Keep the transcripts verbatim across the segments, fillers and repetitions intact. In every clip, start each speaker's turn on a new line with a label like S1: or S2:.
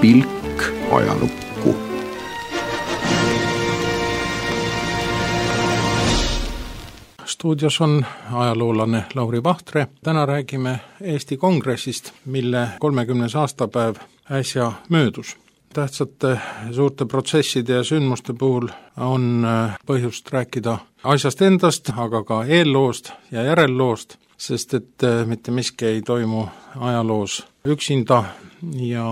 S1: pilk ajalukku.
S2: Stuudios on ajaloolane Lauri Vahtre. Täna räägime Eesti Kongressist, mille kolmekümnes aastapäev äsja möödus. Tähtsate suurte protsesside ja sündmuste puhul on põhjust rääkida asjast endast, aga ka eelloost ja järelloost, sest et mitte miski ei toimu ajaloos üksinda ja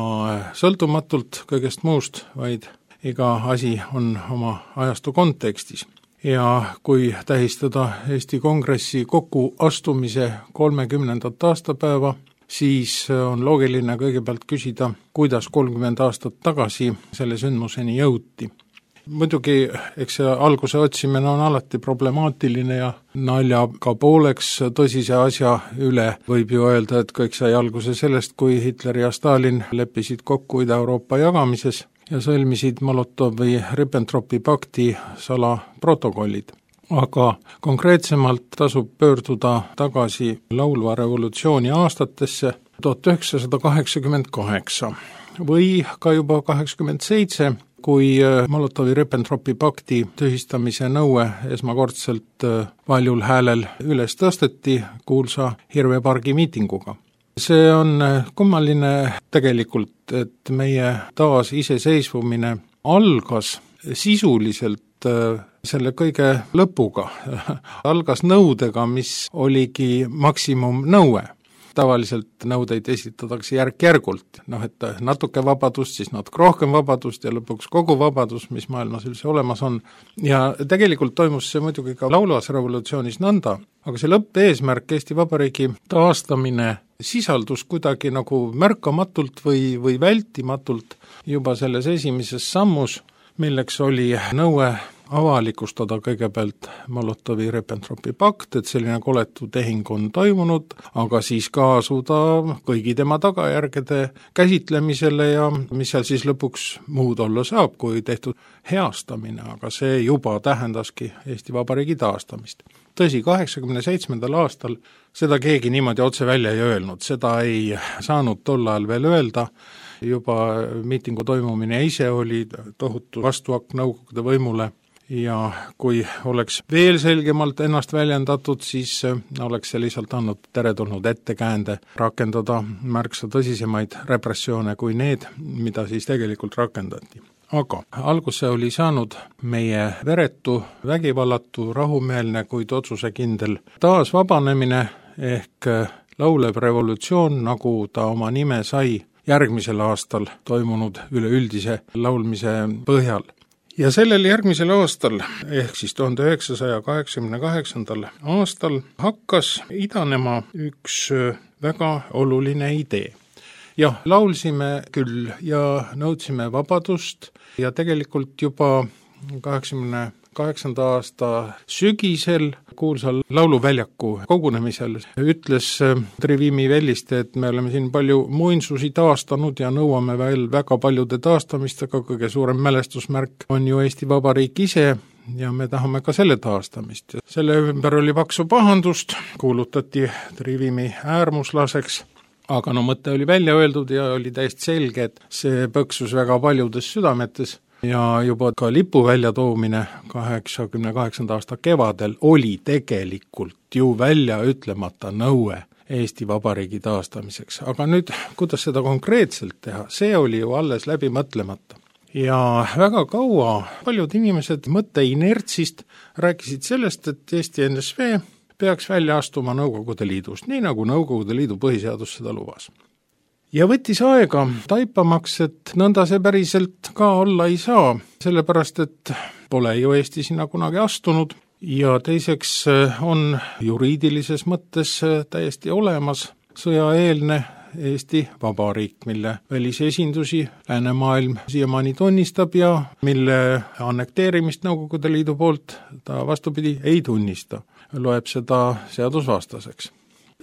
S2: sõltumatult kõigest muust, vaid iga asi on oma ajastu kontekstis. Ja kui tähistada Eesti Kongressi kokkuastumise kolmekümnendat aastapäeva, siis on loogiline kõigepealt küsida, kuidas kolmkümmend aastat tagasi selle sündmuseni jõuti. Muidugi, eks see alguse otsimine on alati problemaatiline ja naljaga pooleks tõsise asja üle võib ju öelda, et kõik sai alguse sellest, kui Hitler ja Stalin leppisid kokku Ida-Euroopa jagamises ja sõlmisid Molotovi-Ribbentropi pakti salaprotokollid. Aga konkreetsemalt tasub pöörduda tagasi laulva revolutsiooni aastatesse tuhat üheksasada kaheksakümmend kaheksa või ka juba kaheksakümmend seitse, kui Molotovi-Ribbentropi pakti tühistamise nõue esmakordselt valjul häälel üles tõsteti kuulsa Hirvepargi miitinguga. See on kummaline tegelikult, et meie taas iseseisvumine algas sisuliselt selle kõige lõpuga, algas nõudega, mis oligi maksimumnõue. Tavaliselt nõudeid esitatakse järk-järgult, noh et natuke vabadust, siis natuke rohkem vabadust ja lõpuks kogu vabadus, mis maailmas üldse olemas on. Ja tegelikult toimus see muidugi ka laulvas revolutsioonis nõnda, aga see lõppeesmärk Eesti Vabariigi taastamine sisaldus kuidagi nagu märkamatult või, või vältimatult juba selles esimeses sammus, milleks oli nõue avalikustada kõigepealt Molotovi-Ribbentropi pakt, et selline koletu tehing on toimunud, aga siis ka asuda kõigi tema tagajärgede käsitlemisele ja mis seal siis lõpuks muud olla saab, kui tehtud heastamine, aga see juba tähendaski Eesti Vabariigi taastamist. Tõsi, kaheksakümne seitsmendal aastal seda keegi niimoodi otse välja ei öelnud, seda ei saanud tol ajal veel öelda, juba miitingu toimumine ise oli tohutu vastuakk Nõukogude võimule ja kui oleks veel selgemalt ennast väljendatud, siis oleks see lihtsalt andnud teretulnud ettekäände rakendada märksa tõsisemaid repressioone kui need, mida siis tegelikult rakendati. Aga alguse oli saanud meie veretu, vägivallatu, rahumeelne, kuid otsusekindel taasvabanemine ehk laulev revolutsioon, nagu ta oma nime sai järgmisel aastal toimunud üleüldise laulmise põhjal. Ja sellel järgmisel aastal, ehk siis tuhande üheksasaja kaheksakümne kaheksandal aastal hakkas idanema üks väga oluline idee. Jah, laulsime küll ja nõudsime vabadust ja tegelikult juba kaheksakümne kaheksanda aasta sügisel kuulsal lauluväljaku kogunemisel ütles Trivimi Velliste, et me oleme siin palju muinsusi taastanud ja nõuame veel väga paljude taastamist, aga kõige suurem mälestusmärk on ju Eesti Vabariik ise ja me tahame ka selle taastamist. Selle ümber oli paksu pahandust, kuulutati Trivimi äärmuslaseks, aga no mõte oli välja öeldud ja oli täiesti selge, et see põksus väga paljudes südametes. Ja juba ka lipu väljatoomine kaheksakümne kaheksanda aasta kevadel oli tegelikult ju välja ütlemata nõue Eesti Vabariigi taastamiseks. Aga nüüd, kuidas seda konkreetselt teha, see oli ju alles läbi mõtlemata. Ja väga kaua paljud inimesed mõtte inertsist rääkisid sellest, et Eesti N S V peaks välja astuma Nõukogude Liidust, nii nagu Nõukogude Liidu põhiseadus seda lubas. Ja võttis aega taipamaks, et nõnda see päriselt ka olla ei saa, sellepärast et pole ju Eesti sinna kunagi astunud ja teiseks on juriidilises mõttes täiesti olemas sõjaeelne Eesti Vabariik, mille välisesindusi läänemaailm siiamaani tunnistab ja mille annekteerimist Nõukogude Liidu poolt ta vastupidi ei tunnista, loeb seda seadusvastaseks.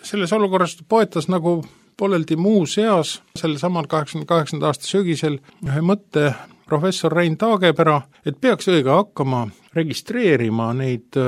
S2: Selles olukorras poetas nagu pooleldi muu seas selle samal kaheksakümne kaheksanda aasta sügisel ühe mõtte professor Rein Taagepera, et peaks õige hakkama registreerima neid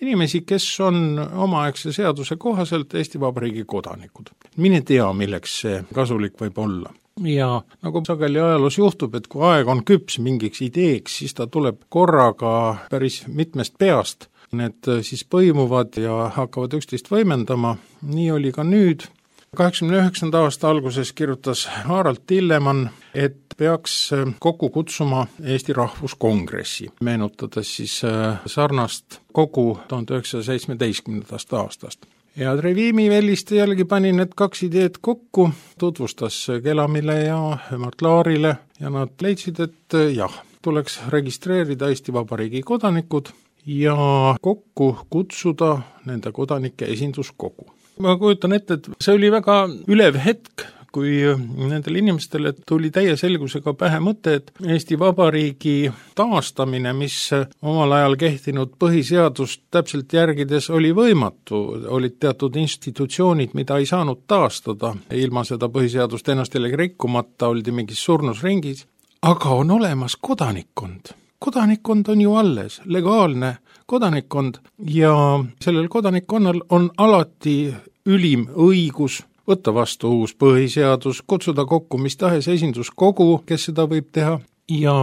S2: inimesi, kes on omaaegse seaduse kohaselt Eesti Vabariigi kodanikud. Mine tea, milleks see kasulik võib olla. ja nagu sageli ajaloos juhtub, et kui aeg on küps mingiks ideeks, siis ta tuleb korraga päris mitmest peast. Need siis põimuvad ja hakkavad üksteist võimendama, nii oli ka nüüd. kaheksakümne üheksanda aasta alguses kirjutas Harald Tillemann, et peaks kokku kutsuma Eesti Rahvuskongressi, meenutades siis sarnast kogu tuhande üheksasaja seitsmeteistkümnendast aastast. Ja Trevimi Velliste jällegi pani need kaks ideed kokku, tutvustas Kelamile ja Mart Laarile ja nad leidsid, et jah, tuleks registreerida Eesti Vabariigi kodanikud ja kokku kutsuda nende kodanike esinduskogu. Ma kujutan ette, et see oli väga ülev hetk, kui nendele inimestele tuli täie selgusega pähe mõte, et Eesti Vabariigi taastamine, mis omal ajal kehtinud põhiseadust täpselt järgides oli võimatu, olid teatud institutsioonid, mida ei saanud taastada, ilma seda põhiseadust ennast jällegi rikkumata, oldi mingis surnusringis, aga on olemas kodanikkond. Kodanikkond on ju alles, legaalne kodanikkond ja sellel kodanikkonnal on alati ülim õigus võtta vastu uus põhiseadus, kutsuda kokku mis tahes esinduskogu, kes seda võib teha, ja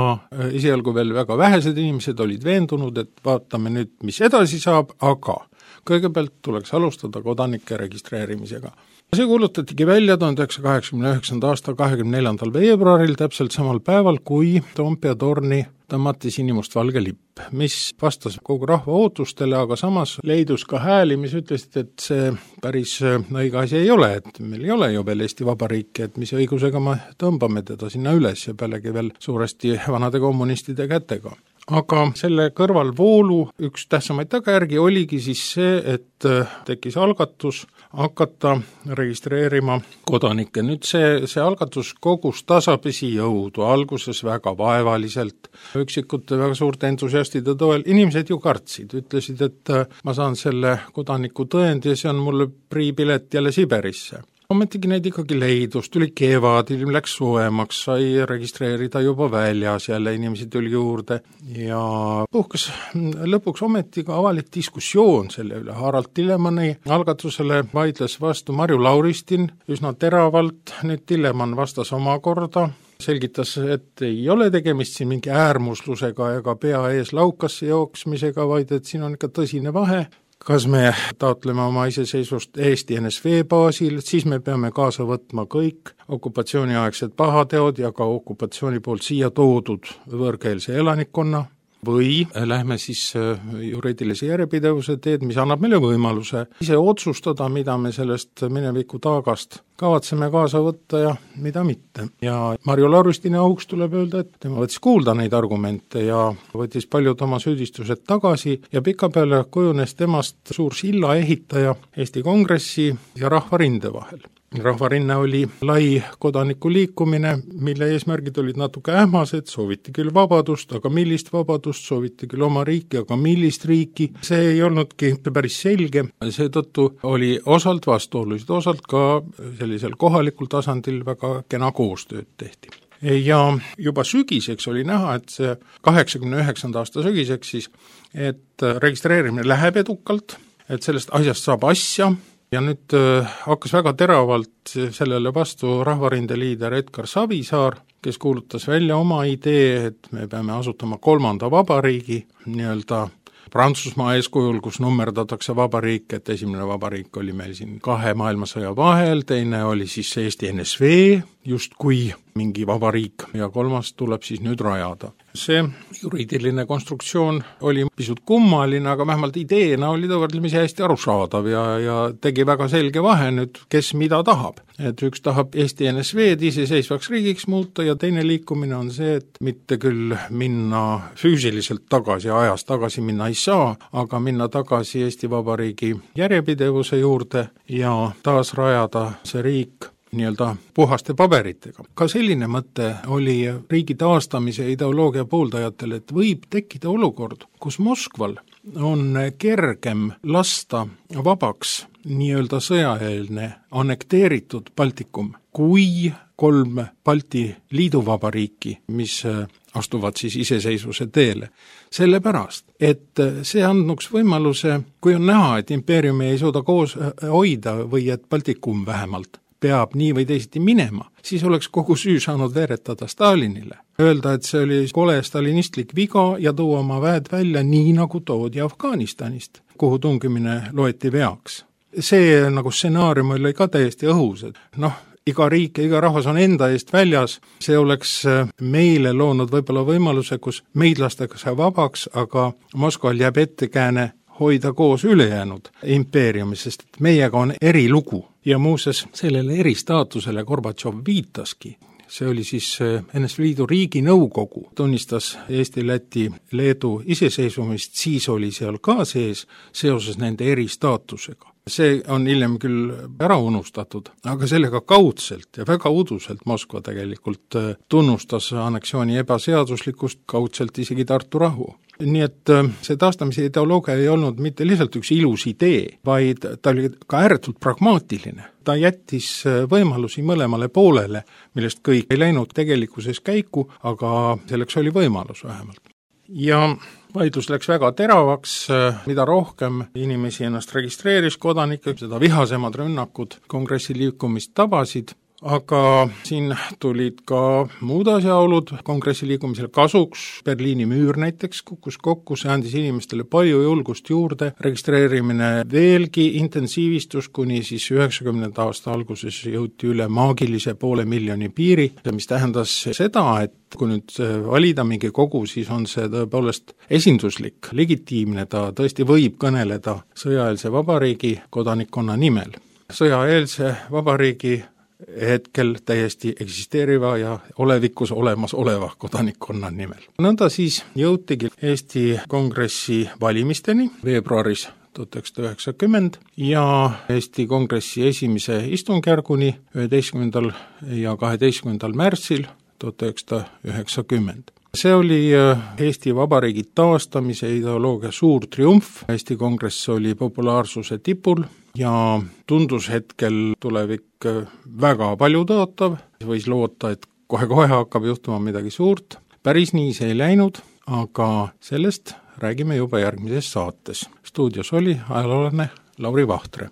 S2: esialgu veel väga vähesed inimesed olid veendunud, et vaatame nüüd, mis edasi saab, aga kõigepealt tuleks alustada kodanike registreerimisega. See kuulutatigi välja tuhande üheksasaja kaheksakümne üheksanda aasta kahekümne neljandal veebruaril, täpselt samal päeval, kui Toompea torni tõmmati sinimustvalge lipp, mis vastas kogu rahva ootustele, aga samas leidus ka hääli, mis ütlesid, et see päris õige asi ei ole, et meil ei ole ju veel Eesti Vabariiki, et mis õigusega me tõmbame teda sinna üles ja pealegi veel suuresti vanade kommunistide kätega. Aga selle kõrvalvoolu üks tähtsamaid tagajärgi oligi siis see, et tekkis algatus hakata registreerima kodanikke. Nüüd see, see algatus kogus tasapisi jõudu, alguses väga vaevaliselt, üksikute väga suurte entusiastide toel. Inimesed ju kartsid, ütlesid, et ma saan selle kodaniku tõendi ja see on mulle priipilet jälle Siberisse. Ometigi neid ikkagi leidus, tuli kevad, ilm läks soojemaks, sai registreerida juba väljas, jälle inimesi tuli juurde ja puhkas lõpuks ometi ka avalik diskussioon selle üle. Harald Tillemanni algatusele vaidles vastu Marju Lauristin üsna teravalt, nüüd Tillemann vastas omakorda, selgitas, et ei ole tegemist siin mingi äärmuslusega ega pea ees laukasse jooksmisega, vaid et siin on ikka tõsine vahe. Kas me taotleme oma iseseisvust Eesti N S V baasil, siis me peame kaasa võtma kõik okupatsiooniaegsed pahateod ja ka okupatsiooni poolt siia toodud võõrkeelse elanikkonna või lähme siis juriidilise järjepidevuse teed, mis annab meile võimaluse ise otsustada, mida me sellest mineviku taagast kavatseme kaasa võtta ja mida mitte. Ja Marju Lauristini auks tuleb öelda, et tema võttis kuulda neid argumente ja võttis paljud oma süüdistused tagasi ja pikapeale kujunes temast suur silla ehitaja Eesti Kongressi ja Rahvarinde vahel. Rahvarinne oli lai kodanikuliikumine, mille eesmärgid olid natuke ähmased, sooviti küll vabadust, aga millist vabadust, sooviti küll oma riiki, aga millist riiki, see ei olnudki päris selge, seetõttu oli osalt vastuolusid, osalt ka sellisel kohalikul tasandil väga kena koostööd tehti. Ja juba sügiseks oli näha, et see kaheksakümne üheksanda aasta sügiseks siis, et registreerimine läheb edukalt, et sellest asjast saab asja, ja nüüd äh, hakkas väga teravalt sellele vastu Rahvarinde liider Edgar Savisaar, kes kuulutas välja oma idee, et me peame asutama kolmanda vabariigi, nii-öelda Prantsusmaa eeskujul, kus nummerdatakse vabariik, et esimene vabariik oli meil siin kahe maailmasõja vahel, teine oli siis Eesti N S V, justkui mingi vabariik, ja kolmas tuleb siis nüüd rajada. See juriidiline konstruktsioon oli pisut kummaline, aga vähemalt ideena oli ta võrdlemisi hästi arusaadav ja, ja tegi väga selge vahe nüüd, kes mida tahab. Et üks tahab Eesti N S V-d iseseisvaks riigiks muuta ja teine liikumine on see, et mitte küll minna füüsiliselt tagasi, ajas tagasi minna ei saa, aga minna tagasi Eesti Vabariigi järjepidevuse juurde ja taas rajada see riik nii-öelda puhaste paberitega. Ka selline mõte oli riigi taastamise ideoloogia pooldajatel, et võib tekkida olukord, kus Moskval on kergem lasta vabaks nii-öelda sõjaeelne annekteeritud Baltikum kui kolm Balti liiduvabariiki, mis astuvad siis iseseisvuse teele. Sellepärast, et see andnuks võimaluse, kui on näha, et impeeriumi ei suuda koos hoida või et Baltikum vähemalt peab nii või teisiti minema, siis oleks kogu süü saanud veeretada Stalinile. Öelda, et see oli kole stalinistlik viga ja tuua oma väed välja nii, nagu toodi Afganistanist, kuhu tungimine loeti veaks. See nagu stsenaarium oli ka täiesti õhus, et noh, iga riik ja iga rahvas on enda eest väljas, see oleks meile loonud võib-olla võimaluse, kus meid lastakse vabaks, aga Moskval jääb ettekääne hoida koos ülejäänud impeeriumi, sest meiega on erilugu. Ja muuses sellele eristaatusele Gorbatšov viitaski. See oli siis N S V Liidu riiginõukogu, tunnistas Eesti, Läti, Leedu iseseisvumist, siis oli seal ka sees seoses nende eristaatusega. See on hiljem küll ära unustatud, aga sellega kaudselt ja väga uduselt Moskva tegelikult tunnustas anneksiooni ebaseaduslikkust, kaudselt isegi Tartu rahu. Nii et see taastamise ideoloogia ei olnud mitte lihtsalt üks ilus idee, vaid ta oli ka ääretult pragmaatiline. Ta jättis võimalusi mõlemale poolele, millest kõik ei läinud tegelikkuses käiku, aga selleks oli võimalus vähemalt. Ja vaidlus läks väga teravaks, mida rohkem inimesi ennast registreeris kodanikke, seda vihasemad rünnakud kongressi liikumist tabasid, aga siin tulid ka muud asjaolud kongressi liikumisele kasuks, Berliini müür näiteks kukkus kokku, see andis inimestele palju julgust juurde, registreerimine veelgi intensiivistus, kuni siis üheksakümnenda aasta alguses jõuti üle maagilise poole miljoni piiri, mis tähendas seda, et kui nüüd valida mingi kogu, siis on see tõepoolest esinduslik, legitiimne, ta tõesti võib kõneleda sõjaeelse vabariigi kodanikkonna nimel. Sõjaeelse vabariigi hetkel täiesti eksisteeriva ja olevikus olemas oleva kodanikkonna nimel. Nõnda siis jõutigi Eesti Kongressi valimisteni veebruaris tuhat üheksasada üheksakümmend ja Eesti Kongressi esimese istungjärguni üheteistkümnendal ja kaheteistkümnendal märtsil tuhat üheksasada üheksakümmend. See oli Eesti Vabariigi taastamise ideoloogia suur triumf, Eesti Kongress oli populaarsuse tipul ja tundus hetkel tulevik väga palju tõotav, võis loota, et kohe-kohe hakkab juhtuma midagi suurt. Päris nii see ei läinud, aga sellest räägime juba järgmises saates. Stuudios oli ajaloolane Lauri Vahtre.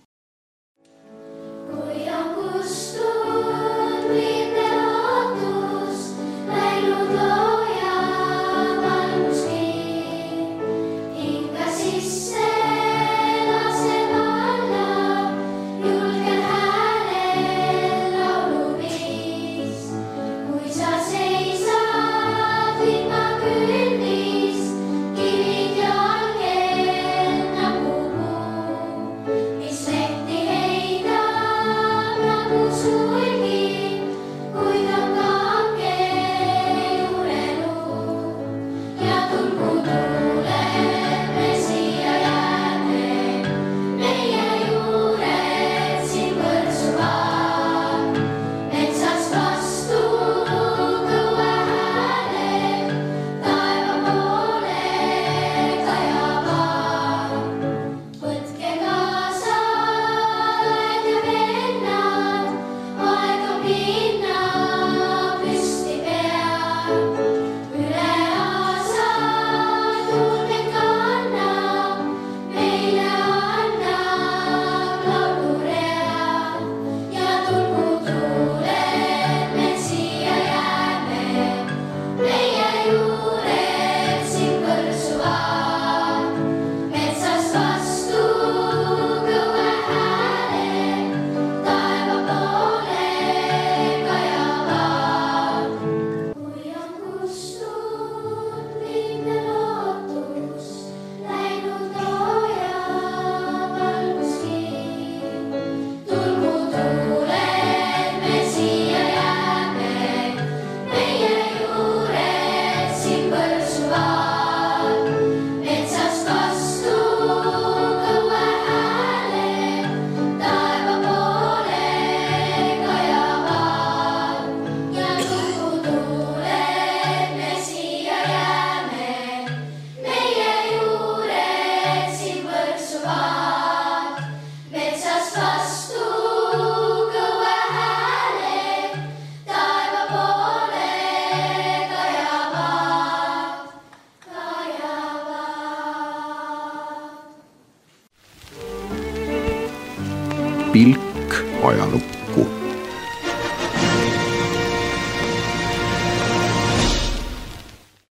S1: Pilk ajalukku.